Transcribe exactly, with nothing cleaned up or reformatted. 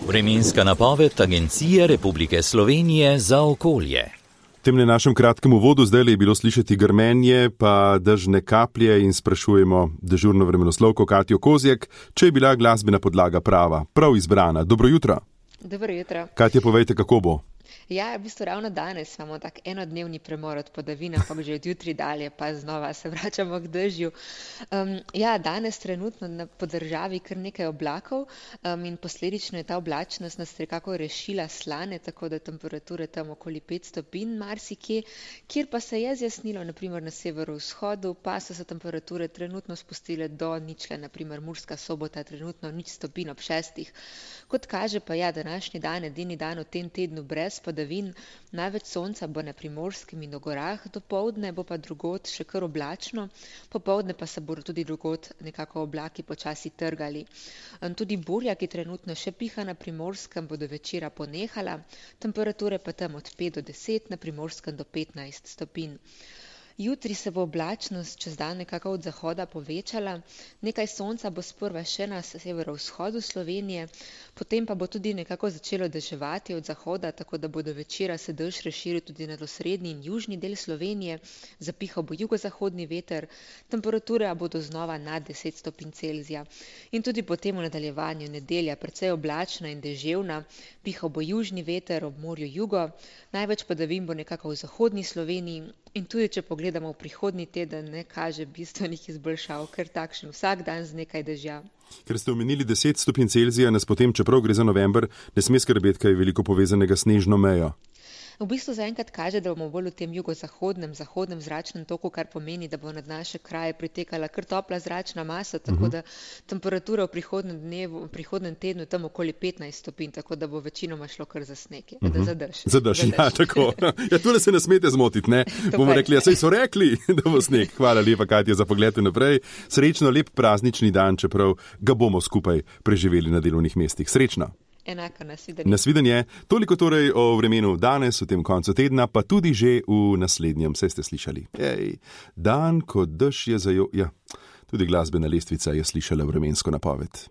Vremenska napoved Agencije Republike Slovenije za okolje. V tem našem kratkem uvodu zdaj je bilo slišati grmenje, pa dežne kaplje in sprašujemo dežurno vremenoslovko Katjo Kozjek, če je bila glasbena podlaga prava, prav izbrana. Dobro jutro. Dobro jutro. Katja, povejte, kako bo? Ja, v bistvu ravno danes imamo tak enodnevni premor od padavin, ampak že od jutri dalje pa znova se vračamo k dežju. Um, ja, danes trenutno na podržavi kar nekaj oblakov um, in posledično je ta oblačnost nas nekako rešila slane, tako da temperature tam okoli pet stopinj marsikje, kjer pa se je zjasnilo, naprimer na severovzhodu, pa so se temperature trenutno spustile do ničle, naprimer Murska Sobota, trenutno nič stopinj ob šestih. Kot kaže pa ja, današnji dan, edini dan v tem tednu brez padavin, največ sonca bo na Primorskem in v gorah, dopoldne bo pa drugod še kar oblačno, popoldne pa se bodo tudi drugod nekako oblaki počasi trgali. Tudi burja, ki trenutno še piha na Primorskem, bo do večera ponehala, temperature pa tam od pet do deset, na Primorskem do petnajst stopinj. Jutri se bo oblačnost čez dan nekako od zahoda povečala, nekaj sonca bo sprva še na severovzhodu Slovenije, potem pa bo tudi nekako začelo deževati od zahoda, tako da bo do večera se dež razširil tudi na osrednji in južni del Slovenije, zapihal bo jugozahodni veter, temperature bodo znova nad deset stopinj Celzija. In tudi potem v nadaljevanju nedelja precej oblačna in deževna, pihal bo južni veter ob morju jugo, največ padavin bo nekako v zahodni Sloveniji. In tudi, če pogledamo v prihodnji teden, ne kaže bistvenih izboljšav, ker takšen vsak dan z nekaj dežja. Ker ste omenili deset stopinj Celzija, nas potem, čeprav gre za november, ne sme skrbeti, kaj je veliko povezanega s snežno mejo. V bistvu zaenkrat kaže, da bomo bolj v tem jugozahodnem, zahodnem zračnem toku, kar pomeni, da bo nad naše kraje pritekala kar topla zračna masa, tako da temperatura v prihodnem dnevu, v prihodnem tednu tam okoli petnajst stopinj, tako da bo večinoma šlo kar za sneg, uh -huh. za dež. Za dež, ja, tako. Ja, tule se ne smete zmotiti, ne? Bomo rekli, ja, saj so rekli, da bo sneg. Hvala lepa, Katja, za pogled naprej. Srečno, lep praznični dan, čeprav ga bomo skupaj preživeli na delovnih mestih. Srečno. Enako, nasvidenje. Nasvidenje. Toliko torej o vremenu danes, v tem koncu tedna, pa tudi že v naslednjem, saj ste slišali. Ej, dan, ko dež je zajo... Ja, tudi glasbena lestvica je slišala vremensko napoved.